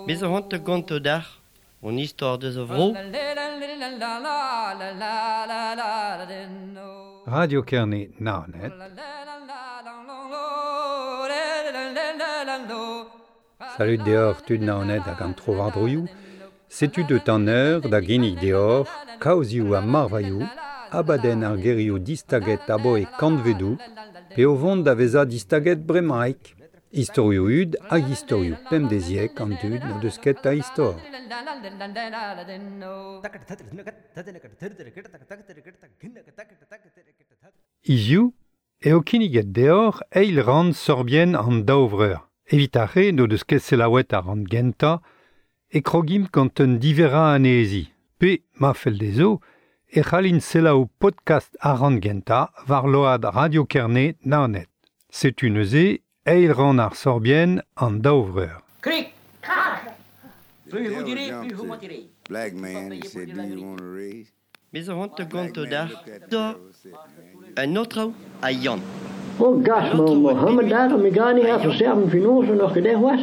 Bez zo c'hoant da gontañ deoc'h hon istor deus a vro. Radio Kerne Naoned. Salut deoc'h tud Naoned hag an tro-war-droioù. Setu deut an eur da ginnig deoc'h kaozioù ha marvailhoù, abadenn ar gerioù distaget aboe kantvedoù, pe o vont da vezañ distaget bremaik. Istorioù hud hag istorioù pemdeziek an dud n'o deus ket a istor. Hiziv eo kinniget deoc'h eil rann sorbienn an daou vreur. Evit ar re n'o deus ket selaouet ar rann gentañ, e krogimp gant un diverrañ anezhi. Pe, ma fell dezho, e c'hallint selaou podcast ar rann gentañ war load Radio Kerne Naoned. Setu neuze eil rann ar sorbienn an daou vreur. Krik, krak. The Plus vous devil direz, jumped plus vous to mentirez. Black Vous man payez and pour said, dire Do la you vérité. want a raise? Bez zo c'hoant da Black gontañ man deoc'h looked at the da devil and said, Man, you un aotrou ha Yann. Oh gas, An ma aotrou a Mohammed Beguet daar, mi gani ha ha Yann. verserven finoze nog gedacht was.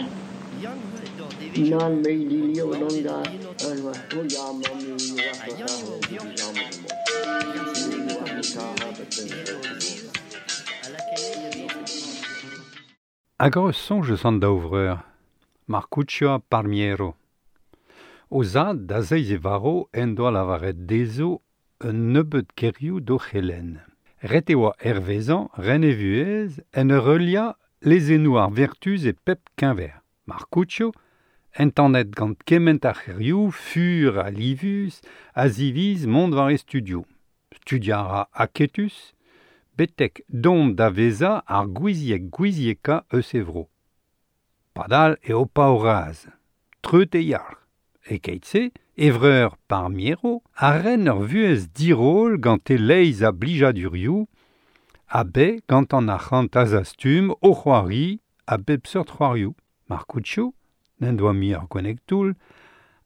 Yann eo d'ar devezhioù. Nan me die leeuw dan An daar. aotrou. En wat, oh ja, man, nu was Ha dat Yann eo die Yann. samen. Hag ur soñj eus an daou vreur, Marcuccio ha Palmiero. O zad da zeiz e varv en doa lavaret dezho un nebeud gerioù d'o c'helenn. Ret e oa hervezañ ren e vuhez en ur heuliañ lezennoù ar vertuz e pep keñver. Marcuccio, entanet gant kement ar c'herioù, fur ha livus, a ziviz mont war e studioù. Studiañ a ra aketus, betek dont da vezañ ar gouiziek gouiziekañ eus e vro. Padal eo paour-razh, treut e yalc'h. E keit-se, e vreur Palmiero a ren ur vuhez diroll gant e leizh a blijadurioù, ha bet gant an arc'hant a-zastum o c'hoari a bep seurt c'hoarioù. Marcuccio, n'en doa mui ur gwenneg toull,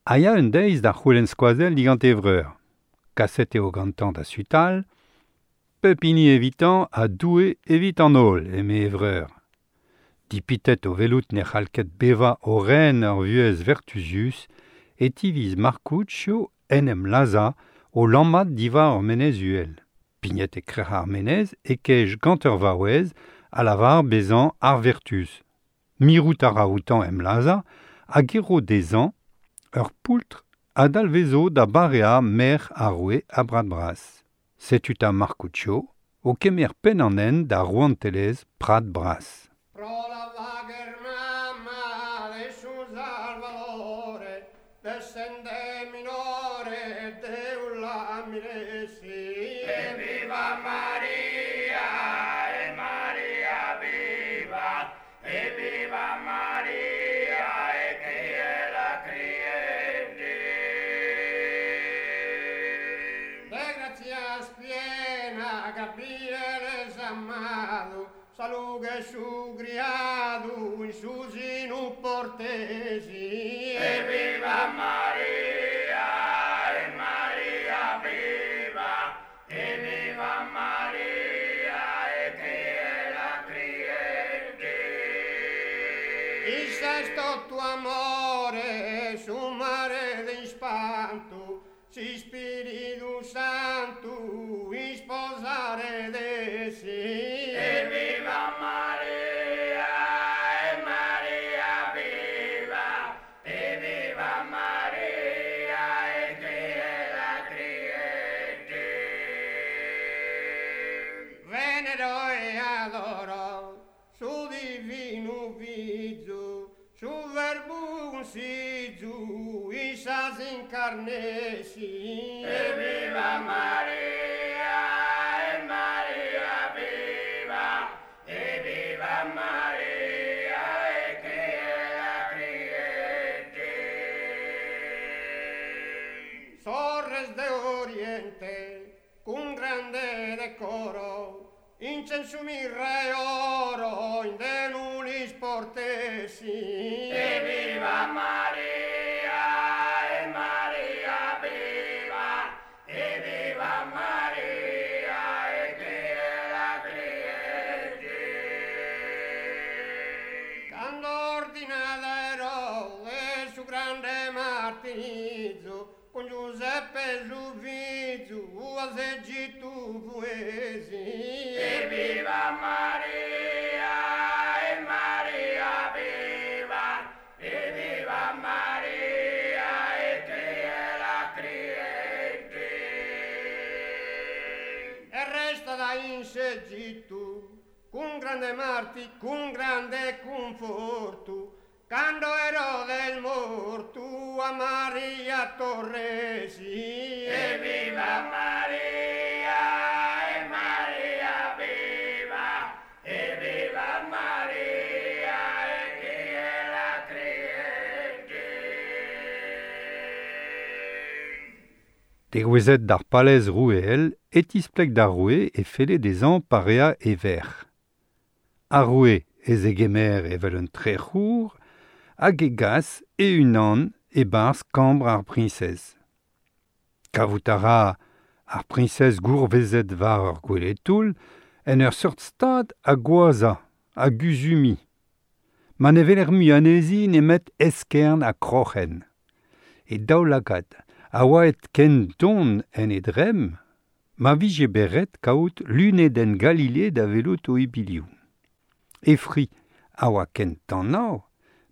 a ya un deiz da c'houlenn skoazell digant e vreur. Kaset eo gantañ da sutal, pep hini evitañ ha Doue evit an holl, eme e vreur. Dipitet o welout ne c'hall ket bevañ o ren ur vuhez vertuzius, e tiviz Marcuccio en em lazhañ o lammat diwar ur menez uhel. Pignet e krec'h ar menez e kej gant ur vaouez a lavar bezañ ar vertuz. Mirout a ra outañ em lazhañ hag e ro dezhañ ur poultr a dalvezo da bareañ merc'h ar roue a Brad Bras. Setu 'ta Marcuccio o kemer penn an hent da rouantelezh Prad Bras. Pro la vager mamma de su Salvatore, descende minore de la miresi. E viva Maria, e Maria viva, e viva Maria, e chi è la crienti. De grazias piena, Gabriele s'amado, salughe su criado, in su sinu portesi. E viva Maria, e Maria viva, e viva Maria, e chi è la crienti. Il sesto tuo amore, su mare d'ispanto, si Spirito Santo, isposare desi. E viva Maria, e Maria viva, e viva Maria, e chi è la crienti. Venero e adoro, su divino viso, su verbo conciso, isas incarnesi. E viva Maria, e Maria viva, e viva Maria, e chi è la crienti. Sorres de Oriente, con grande decoro, incenso mirra e oro, in denulis portesi. E viva Maria, e Maria viva, e viva Maria, e chi è la crienti. ordinata Erode su grande martirizzo con Giuseppe Giuvizu a Egitto fuesi. E viva Maria, e Maria viva, e viva Maria, e chi è la cliente. E resta da in Egitto con grande marti, con grande conforto, quando Erode il morto a Maria torresi. E viva Maria, e Maria viva, e viva Maria, e chi è la cliente. Degouezet d'ar palez roueel, e tispleg d'ar roue e felle dezhañ parea e verc'h. Ar roue ez egemer evel un trec'hour hag e gas e-unan e-barzh kambr ar priñsez. Kavout a ra ar priñsez gourvezet war ur gwele-toull en ur seurt stad a gwazañ, a guzumiñ. Ma ne weler mui anezhi nemet eskern ha kroc'hen. E daoulagad a oa aet ken don en e dremm ma vije bet ret kaout lunedenn Galilei da welout o ibilioù. E fri a oa ken tanav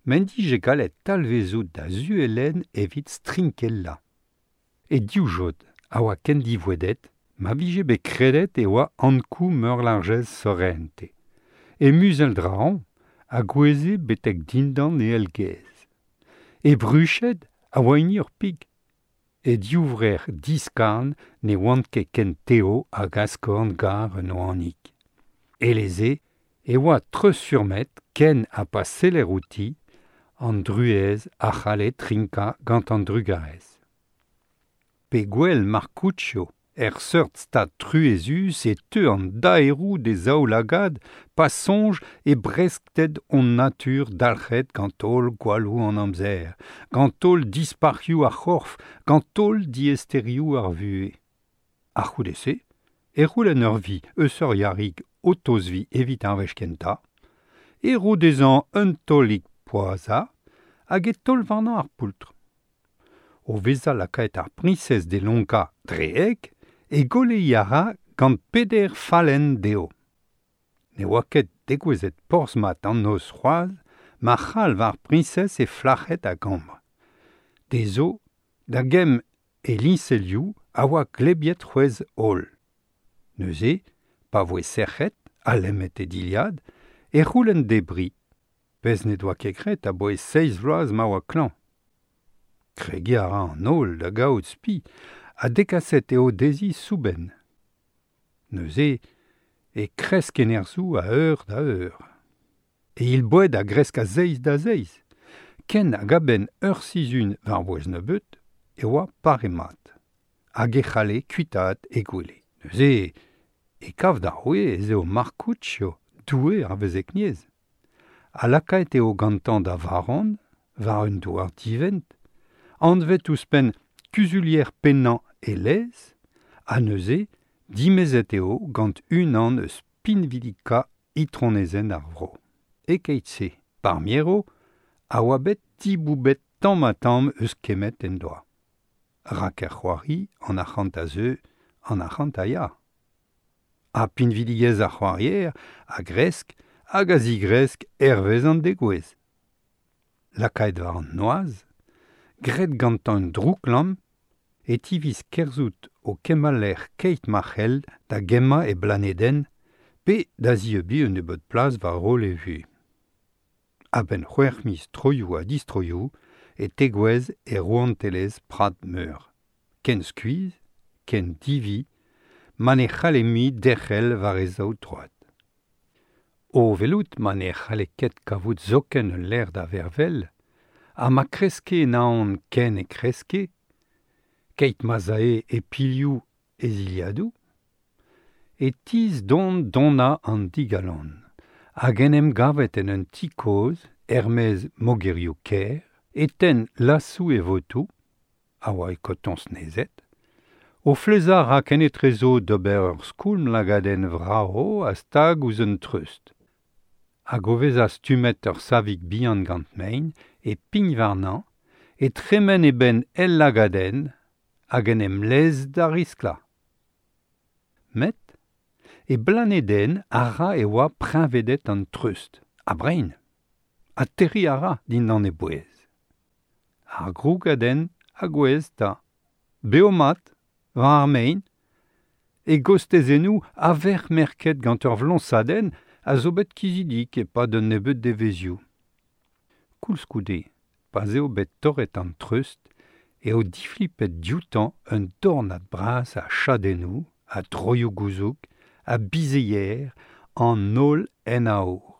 m'en dije gallet talvezout da zuelen evit strinkellañ. E divjod a oa ken divouedet ma vije bet kredet e oa Ankou meurlarjez Sorrente. E muzell draoñ a goueze betek dindan e elgez. E bruched a oa hini ur pig. E divrec'h diskarn ne oant ket ken teo hag askorn gar un oanig. Eleze e oa treuzfurmet ken ha pa seller outi an druez a c'halle trinkañ gant an drugarez. Pe gwell Marcuccio er seurt stad truezus e teu an daeroù d'e zaoulagad pa soñj e breskted hon natur dalc'het gant holl gwalloù an amzer, gant holl dispac'hioù ar c'horf, gant holl diaesterioù ar vuhez. A-c'houde-se, e c'houlenn ur vi eus ur yarig o tozviñ evit ar wech kentañ, e ro dezhañ un taolig poazhañ hag e taol warnañ ar poultr. O vezañ lakaet ar priñsez d'e lonkañ dre heg, e goleiñ a ra gant peder fallenn dezho. Ne oa ket degouezhet porzh-mat an noz c'hoazh ma c'halv ar priñsez he flac'hed a gambr. Dezho, da gemm e liñselioù a oa glebiet c'hwezh holl. Neuze, pa voe sec'het ha lemmet e dilhad, e c'houlenn debriñ, pezh ne doa ket graet aboae seizh vloaz ma oa klañv. Kregiñ a ra an holl da gaout spi ha dekaset eo dezhi soubenn. Neuze e kresk e nerzhoù a eur da eur. E ilboed a gresk a zeiz da zeiz. Ken hag a-benn ur sizhun war-bouez nebeut e oa pare mat. Hag e c'halle kuitaat e gwele. Neuze e kav d'ar roue ez eo Marcuccio, doue ar vezekniezh. Ha lakaet eo gantañ da varon war un douar divent, anvet ouzhpenn kuzulier pennañ e lez, ha neuze dimezet eo gant unan eus pinvidikañ itronezenn ar vro. E-keit-se, Parmiero a oa bet diboubet tamm-ha-tamm eus kemmet en doa. Rak er c'hoari an arc'hant a zeu, an arc'hant a ya. Ha pinvidigezh ar c'hoarier a gresk hag a zigresk hervez an degouezh. Lakaet war an noazh, graet gantañ un drouklamm, e tiviz kerzhout o kemmañ lec'h keit ma c'hell da gemmañ e blanedenn pe da zieubiñ un nebeud plas war roll e vuhez. A-benn c'hwec'h miz troioù ha distroioù e tegouezh e rouantelezh Prad Meur. Ken skuizh, ken divi, ma ne c'halle mui derc'hel war e zaou troad. O welout ma ne c'halle ket kavout zoken ul lec'h da vervel, ha ma kreske naon ken e kreske, keit ma'z ae e pilhoù e zilhadoù, e tizh don donañ an digalon, hag en em gavet en un ti kozh, er-maez mogerioù kêr, e tenn lasoù e votoù, a oa e kotoñs nezet, o flezañ ra kenetrezo d'ober ur skoulm lagadenn vrav a stag ouzh un treust. Hag o vezañ stummet ur savig bihan gant mein, e pign warnañ, e tremen e benn el lagadenn hag en em lez da risklañ. Met e blanedenn a ra e oa preñvedet an treust, ha brein, ha terriñ a ra dindan e bouez. Ar grougadenn a gouezh 'ta, bev-mat, war ar mein, e gostezennoù a-vec'h merket gant ur vloñsadenn a zo bet kizidik e-pad un nebeud devezhioù. Koulskoude, pa'z eo bet torret an treust eo diflipet dioutañ un dornad bras a chadennoù, a droioù-gouzoug, a bizeier, an holl en aour,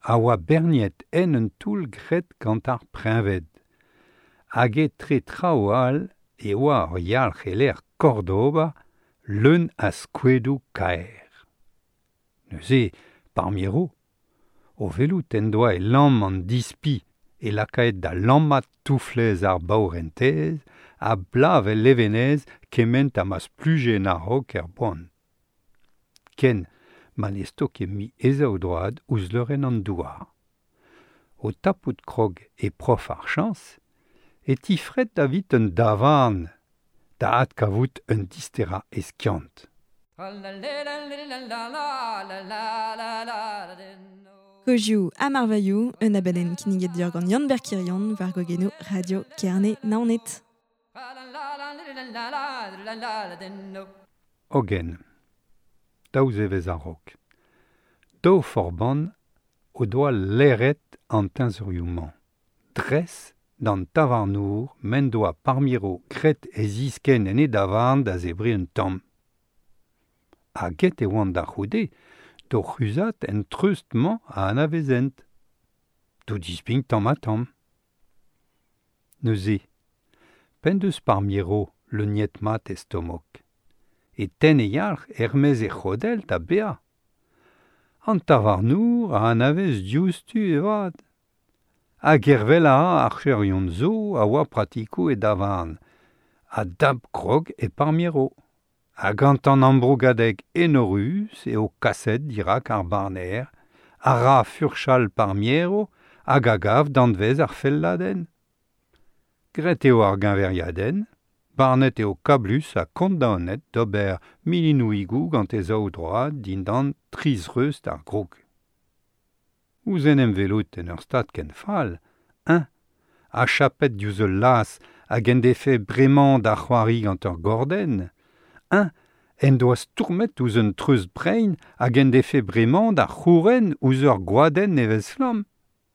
a oa berniet en un toull graet gant ar preñved. Hag etre traoù all e oa ur yalc'h e-lec'h Cordoba leun a skoedoù kaer. Neuze, Parmiero, o welout en doa e lamm an dispi e lakaet da lammat touflez ar baourentez a blav el levenez kement ha ma spluje en a-raok er boan. Ken ma ne stoke mui e zaoudroad ouzh leurenn an douar. O tapout krog e prof ar chañs e tifret davit un davarn da adkavout un disterañ e skiant. Kozioù ha marvailhoù, un abadenn kinniget deoc'h gant Yann-Ber Kirion war gwagennoù Radio Kerne Naoned. Hogen, daou zevezh a-raok, daou forban o doa laeret an teñzorioù-mañ, dres d'an tavarnour m'en doa Parmiro graet e ziskenn en e davarn da zebriñ un tamm. Ha get e oant da c'houde d'o c'huzhat en treust-mañ a anavezent. D'o dispign tamm-ha-tamm. Neuze, p'en deus Parmiro leuniet-mat e stomok, e tenn e yalc'h er-maez e c'hodell da baeañ. An tavarnour a anavez diouzhtu e vat. Ha gervel a ra archerion zo a oa pratikoù e davarn, a dap krog e Parmiro. Ha gant an ambrougadeg enorus eo kaset dirak ar barner, a ra furchal Parmiero hag a gav danvez ar felladenn. Graet eo ar geñveriadenn, barnet eo kablus ha kondaonet d'ober milinoùigoù gant e zaoudroad dindan tri zreust ar groug. Ouzh en em welout en ur stad ken fall, eñ, achapet diouzh ul las hag en defe bremañ da c'hoari gant ur gordenn, eñ en doa stourmet ouzh un treust brein hag en defe bremañ da c'houren ouzh ur gwadenn nevez-flamm.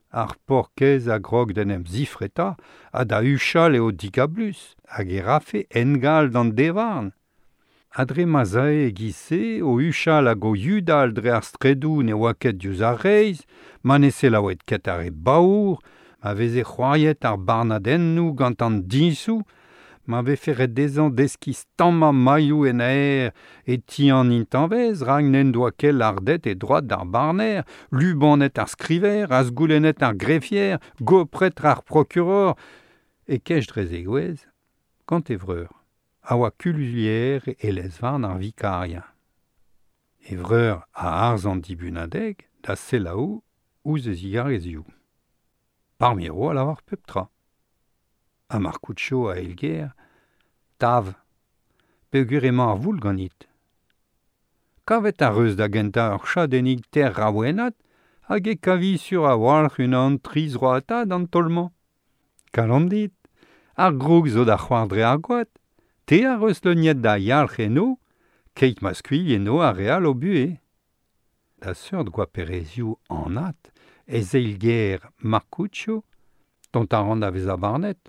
Ar paourkaezh a grog d'en em zifretañ ha da huchal eo digablus hag e rafe engal d'an devarn. Ha dre ma'z ae e-giz-se o huchal hag o yudal dre ar straedoù ne oa ket diouzh ar reizh, ma ne selaoued ket ar re baour, ma veze c'hoariet ar barnadennoù gant an diñsoù, ma vefe ret dezhañ deskiñ stammañ mailhoù en aer e ti an intañvez rak n'en doa ket lardet e droad d'ar barner, lubanet ar skriver, azgoulennet ar grefier, gopret ar prokuror, e kej dre zegouezh gant e vreur. A oa kululier e lez-varn ar vikarien. E vreur a arz an dibunadeg da selaou ouzh e zigarezioù. Parmiro a lavar pep tra. Ha Marcuccio a eilger, tav, peogwir emañ ar voul ganit. Kavet ar reuz da gentañ ur chadennig ter raouennat hag e kavi sur a-walc'h unan tri zroatad an taol-mañ. Kalon dit, ar groug zo da c'hoar dre ar gwad. Te a reus leuniet da yalc'h eno, keit ma skuilh eno ar re all o buhez. Da seurt goaperezioù anat ez eilger Marcuccio, dont a ran da vezañ barnet,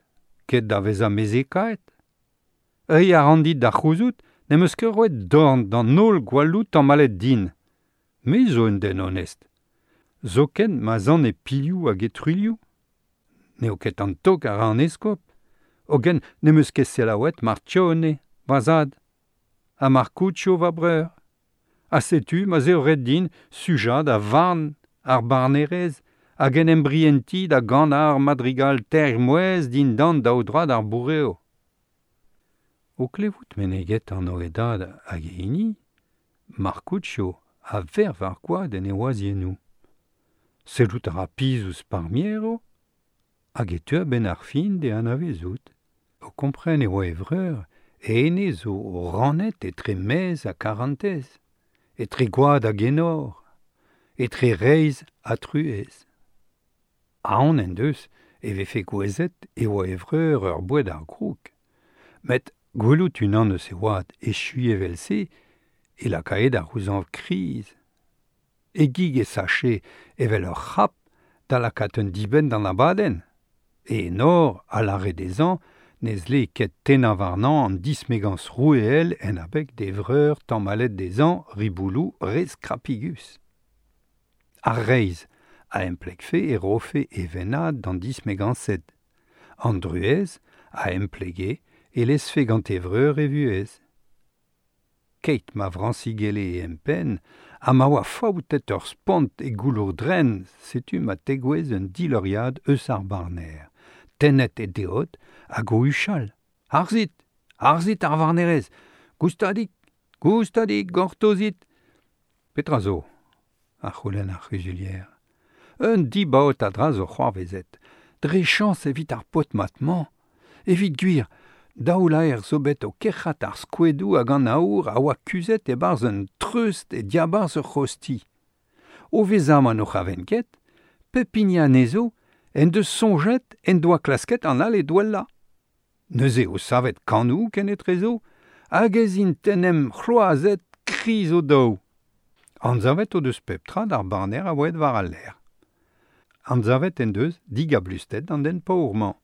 ket da vezañ mezhekaet. Reiñ a ran dit da c'houzout n'em eus ket roet dorn d'an holl gwalloù tamallet din. Me zo un den onest. Zoken ma 'z an e pilhoù hag e truilhoù. N'eo ket an tok a ra an eskob. Hogen n'em eus ket selaouet Marcione, va zad, ha Marcuccio, va breur. Ha setu ma'z eo ret din sujañ da varn ar barnerez hag en em brientiñ da ganañ ar madrigal teir mouezh dindan daoudroad ar bourev. O klevout meneget anv e dad hag e hini, Marcuccio a verv ar gwad en e wazhiennoù. Sellout a ra piz ouzh Parmiero, hag e teu a-benn ar fin d'e anavezout. O kompren e oa e vreur, e ene zo rannet etre mezh ha karantez, etre gwad hag enor, etre reizh ha truez. Aon en deus e vefe gouezet e oa e vreur ur boued ar groug. Met gwelout unan eus e oad echuiñ evel-se e lakae da c'houzañv kriz. E gig e sache evel ur c'hrap da lakaat un dibenn d'an abadenn. E enor a lâre dezhañ ne zle ket tennañ warnañ an dismegañs roueel en abeg d'e vreur tamallet dezhañ ribouloù re skrapigus. Ar reizh a emplegfe e rofe e vennad d'an dismegañsed. An druez a emplege e lezfe gant e vreur e vuhez. Keit ma vrañsigelle e empenn ha ma oa faoutet ur spont e goulourdrenn, setu ma tegouezh un dileuriad eus ar barner. Tennet e deod hag o huchal. Harzit! Harzit ar varnerez! Goustadik! Goustadik, gortozit! Petra zo? A c'houlenn ar c'huzulier. Un dibaot a dra zo c'hoarvezet. Dre chañs evit ar paotr mat-mañ. Evit gwir, daou laer zo bet o kerc'hat ar skoedoù hag an aour a oa kuzhet e-barzh un treust e diabarzh ur c'hozh-ti. O vezañ ma n'o c'havent ket, pep hini anezho en deus soñjet en doa klasket an all e douellañ. Neuze o savet kanoù kenetrezo hag ez int en em c'hloazet kriz o-daou. Anzavet o deus pep tra d'ar barner a oa aet war al lec'h. Anzavet en deus digablusted an den paour-mañ.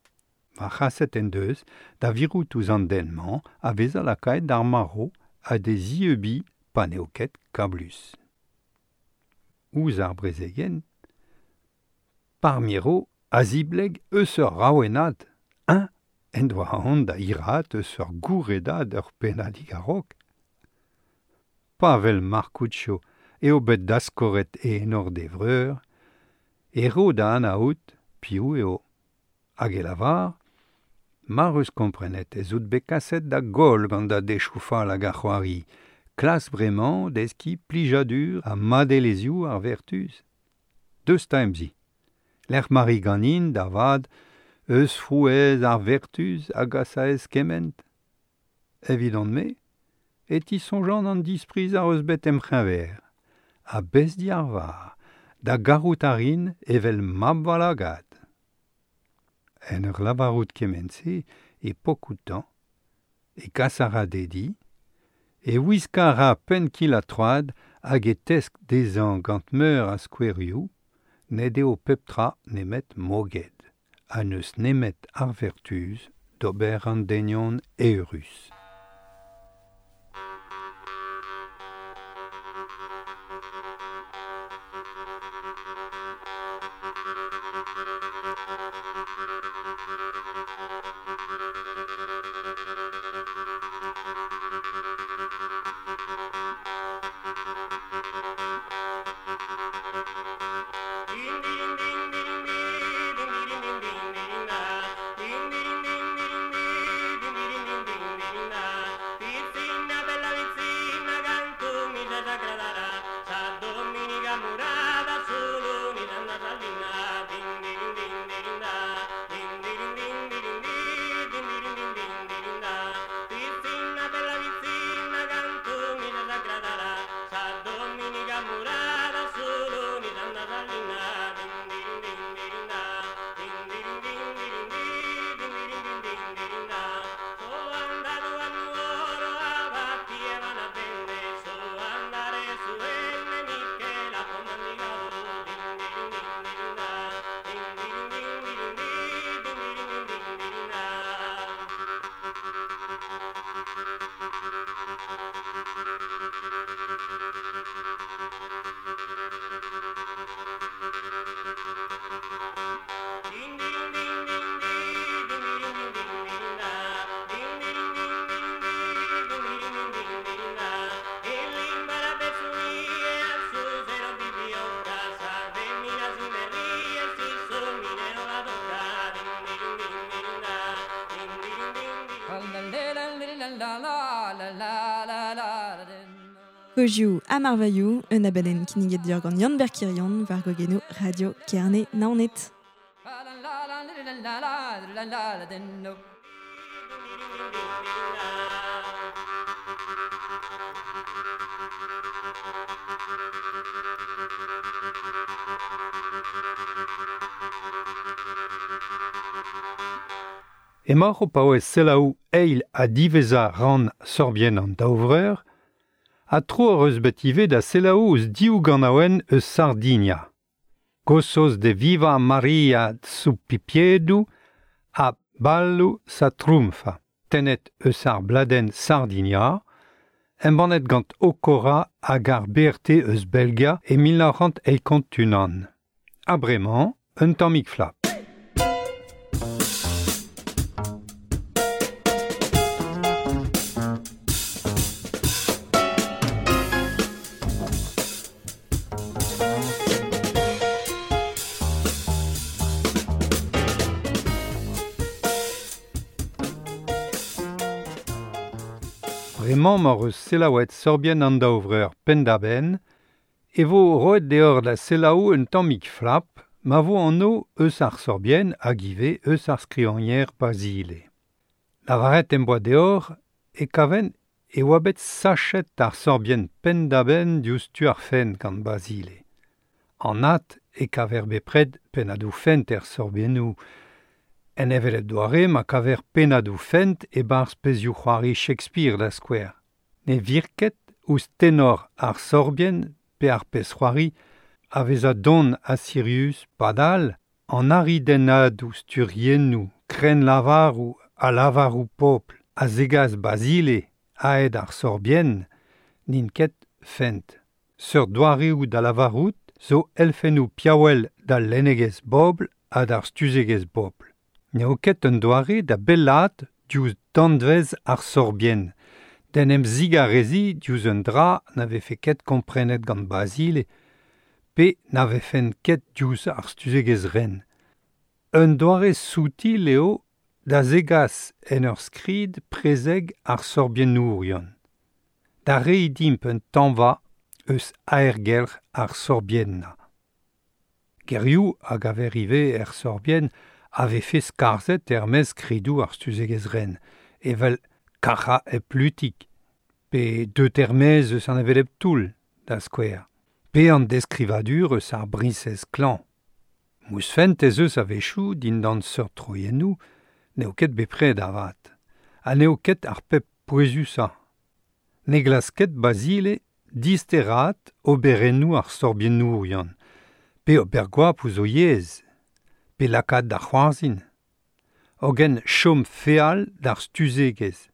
Va c'haset en deus da virout ouzh an den-mañ a vezañ lakaet d'ar marv ha d'e zieubiñ pa n'eo ket kablus. Ouzh ar brezegenn, Parmiero a zibleg eus ur raouennad, eñ en doa aon da hiraat eus ur gourredad ur pennadig a-raok. Pa wel Marcuccio eo bet daskoret e enor d'e vreur, e ro da anaout piv eo. Hag e lavar, Mar eus komprenet ez out bet kaset da goll gant da dechoù fall hag ar c'hoari, klask bremañ deskiñ plijadur ha madelezhioù ar vertuz. Deus 'ta em zi. Lec'h ma ri ganin, da vat, eus frouezh ar vertuz a gasaez kement. Evidon-me e tisoñjan an dispriz ac'h eus bet em c'heñver, ha bez diarvar, da garout a rin evel mab va lagad. En ur lavarout kement-se e pok outañ, e kas a ra d'e di, e wiskañ a ra penn-kil-ha-troad hag e tesk dezhañ gant meur a skouerioù ned eo pep tra nemet moged ha n'eus nemet ar vertuz d'ober an denion eürus. Kozioù ha marvailhoù, un abadenn kinniget deoc'h gant Yann Berkirion war gogenoù Radio Kerne Naoned. Emaoc'h o paouez selaou eil ha diwezhañ rann Sorbienn an daou vreur, ha tro hoc'h eus bet ivez da selaou ouzh div ganaouenn eus Sardinia. Gosos de Viva Maria su Pipiedu ha Ballu sa Trumfa, tennet eus ar bladenn Sardinia, embannet gant Okora hag ar BRT eus Belgia e 1981. Ha bremañ, un tammig flap. Bremañ m'hoc'h eus selaouet Sorbienn an daou vreur penn-da-benn e vo roet deoc'h da selaou un tammig flap ma vo anv eus ar sorbienn hag ivez eus ar skrivagner Basile. Lavaret em boa deoc'h e kaven e oa bet sachet ar sorbienn penn-da-benn diouzh tu ar fent gant Basile. Anat e kaver bepred pennadoù fent er sorbiennoù. En hevelep doare ma kaver pennadoù fent e-barzh pezhioù-c'hoari Shakespeare da skouer. Ne vir ket ouzh tenor ar sorbienn pe ar pezh-c'hoari a vezañ don ha sirius padal an aridennadoù sturiennoù, krennlavaroù ha lavaroù pobl a zegas Basile aet ar sorbienn n'int ket fent. Seurt doareoù da lavarout zo elfennoù piaouel d'al lennegezh bobl ha d'ar stuzegezh bobl. N'eo ket un doare da bellaat diouzh danvez ar sorbienn, d'en em zigareziñ diouzh un dra na vefe ket komprenet gant Basile pe na vefen ket diouzh ar stuzegezh ren. Un doare soutil eo da zegas en ur skrid prezeg ar sorbiennourion. Da reiñ dimp un tañva eus aergelc'h ar sorbiennañ. Gerioù a gaver ivez er sorbienn a vefe skarzhet er-maez skridoù ar stuzegezh ren, evel kac'hañ hep lutig, pe deut er-maez eus an hevelep toull, da skouer, pe an deskrivadur eus ar briñsez klañv. Mousfent ez eus a-wechoù dindan seurt troiennoù n'eo ket bepred avat, ha n'eo ket ar pep pouezusañ. Ne glask ket Basile disteraat oberennoù ar sorbiennourion, pe ober goap ouzh o yezh, pe lakaat da c'hoarzhin. Hogen chom feal d'ar stuzegezh.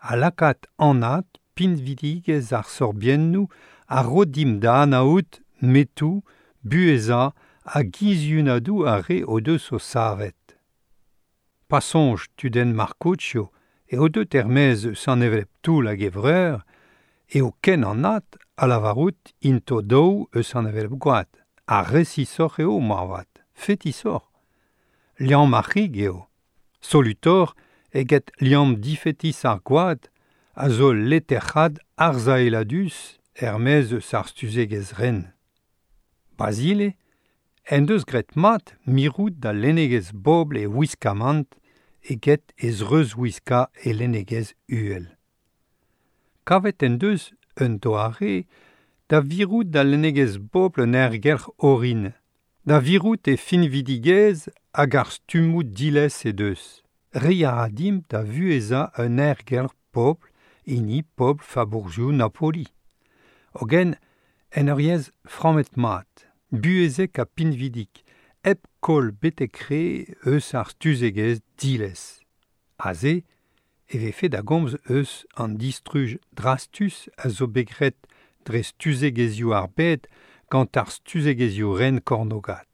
Ha lakaat anat pinvidigezh ar sorbiennoù a ro dimp da anaout metoù, buhezañ ha giziunadoù ar re o deus o savet. Pa soñj tudenn Marcuccio eo deut er-maez eus an hevelep toull hag e vreur, eo ken anat a lavarout int o-daou eus an hevelep gwad. Ha resisoc'h eo moarvat, fetisoc'h. Liamm ar c'hig eo. Solutoc'h eget liamm difetis ar gwad a zo leterc'had arzaeladus er-maez eus ar stuzegezh ren. Basile en deus graet mat mirout da lennegezh bobl e wiskamant eget e zreuzwiskañ e lennegezh uhel. Kavet en deus un doare da virout da lennegezh bobl un aergelc'h orin, da virout e finvidigezh hag ar stummoù diles he deus. Reiñ a ra dimp da vuhezañ un aergelc'h pobl, hini pobl fabourzhioù Napoli. Hogen, en ur yezh frammet mat, buhezek ha pinvidik, hep koll betek re eus ar stuzegezh diles. Aze e vefe da gomz eus an distruj drastus a zo bet graet dre stuzegezhioù ar bed gant ar stuzegezhioù ren kornogat.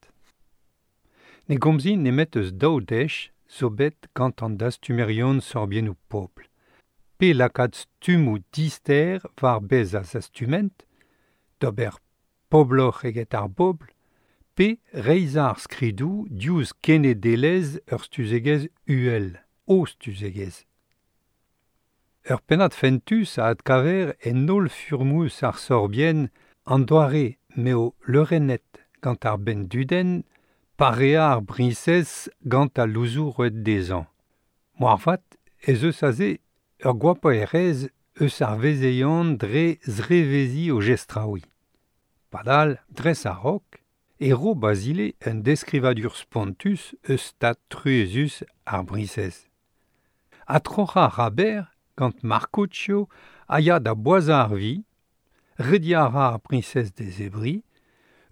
Ne gomzin nemet eus daou dech zo bet gant an dastumerion sorbiennoù pobl. Pe lakaat stummoù dister war bez a zastument, d'ober pobloc'h eget ar bobl, pe reizhañ ar skridoù diouzh kenedelezh ur stuzegezh uhel, o stuzegezh. Ur pennad fentus a adkaver en holl furmoù ar sorbienn an doare m'eo leurennet gant ar benndudenn pareañ ar briñsez gant al louzoù roet dezhañ. Moarvat ez eus aze ur goapaerezh eus ar vezeion dre zreveziñ o jestraouiñ. Padal, dres a-raok, e ro Basile un deskrivadur spontus eus stad truezus ar briñsez. Ha troc'hañ a ra berr gant Marcuccio a ya da boazhañ ar vi, rediañ a ra ar briñsez d'e zebriñ,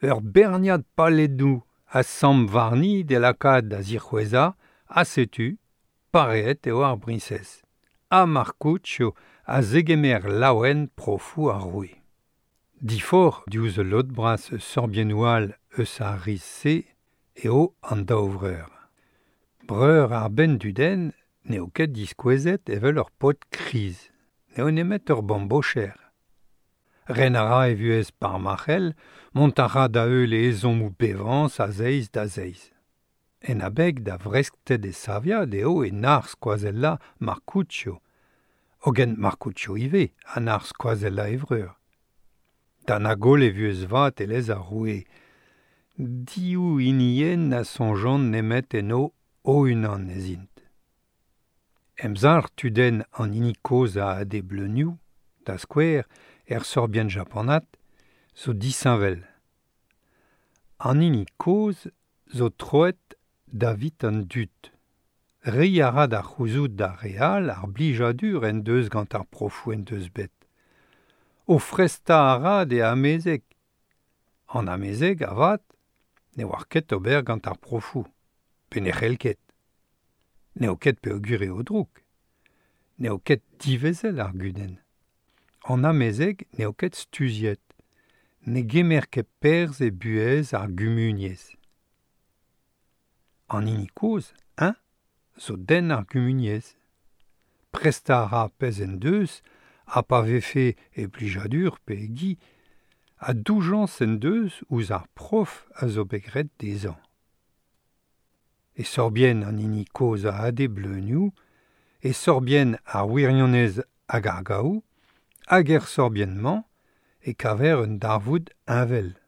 ur berniad paledoù a samm warni d'e lakaat da zic'hwezhañ, ha setu, pareet eo ar briñsez. Ha Marcuccio a zegemer laouen profoù ar roue. Diforc'h diouzh ul lod bras eus sorbiennoù all eus ar rizh-se eo an daou vreur. Breur ar benndudenn n'eo ket diskouezet evel ur paotr kriz, n'eo nemet ur bambocher. Ren a ra e vuhez par ma c'hell, mont a ra da-heul e ezhommoù bevañs a zeiz da zeiz. En abeg da vreskted e saviad eo e nac'h skoazellañ Marcuccio, hogen Marcuccio ivez a nac'h skoazellañ e vreur. Da na goll e vuhez vat e lez ar roue. Div hinienn na soñjont nemet enno o-unan ez int. Emzalc'h tudenn an hini kozh a ade bleunioù, da skouer, er sorbienn japanat, zo disheñvel. An hini kozh zo troet davit an dud. Reiñ a ra da c'houzout d'ar re all ar blijadur en deus gant ar profoù en deus bet. O frestañ a ra d'e amezeg. An amezeg, avat, ne oar ket ober gant ar profoù, pe ne c'hell ket. N'eo ket peogwir eo drouk. N'eo ket divezel ar gudenn. An amezeg n'eo ket stuziet. Ne gemer ket perzh e buhez ar gumuniezh. An hini kozh, eñ, zo den ar gumuniezh. Prestañ a ra pezh en deus ha pa vefe e blijadur pe e gi, ha doujañs en deus ouzh ar prof a zo bet graet dezhañ. E sorbienn an hini kozh a ade bleunioù, e sorbienn ar wirionez hag ar gaou, hag er sorbienn-mañ e kaver un darvoud heñvel.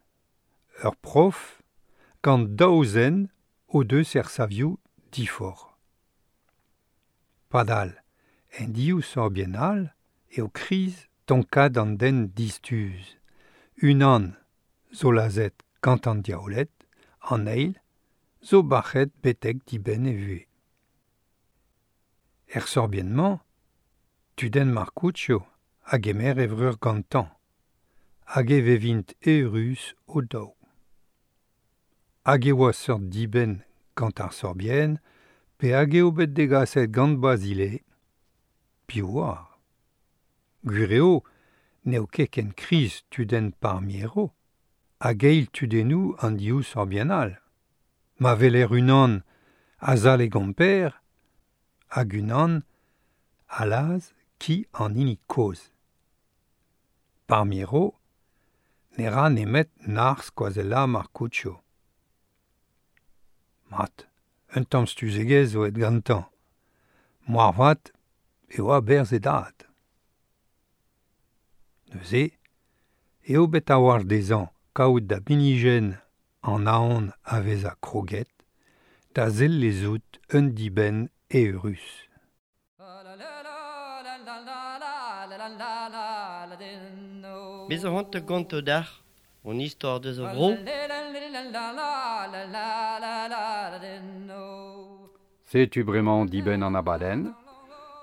Ur prof gant daou zen o deus ersavioù diforc'h. Padal, en div sorbienn all eo kriz tonkad an den distuz. Unan zo lazhet gant an diaouled, an eil zo bac'het betek dibenn e vuhez. Er sorbienn-mañ, tudenn Marcuccio a gemer e vreur gantañ, hag e vevint eürus o-daou. Hag e oa seurt dibenn gant ar sorbienn pe hag eo bet degaset gant Basile, piv 'oar. Gwir eo n'eo ket ken kriz tudenn Parmiero hag eil tudennoù an div sorbienn all. Ma weler unan a-zal e gomper hag unan a lazh ki an hini kozh. Parmiero ne ra nemet nac'h skoazellañ Marcuccio. Mat, un tamm stuzegezh zo aet gantañ. Moarvat e oa berzh e dad. Neuze eo bet a-walc'h dezhañ kaout da binijenn an aon a vezañ kroget da sellezout un dibenn eürus. Me zo c'hoant da gontañ deoc'h hon istor deus ar vro. Setu bremañ dibenn an abadenn.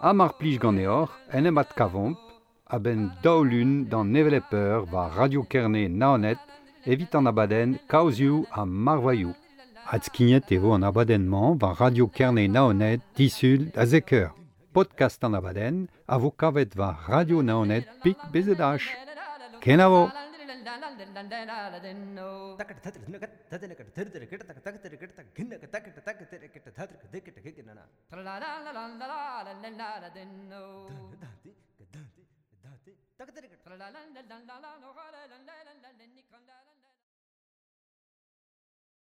Ha mar plij ganeoc'h en em adkavomp a-benn daou lun d'an hevelep eur war Radio Kerne Naoned evit an abadenn Kaozioù ha Marvailhoù. Adskignet e vo an abadenn-mañ war Radio Kerne Naoned disul da zek eur. Podcast an abadenn a vo kavet war Radio Naoned pik BZH. Kenavo!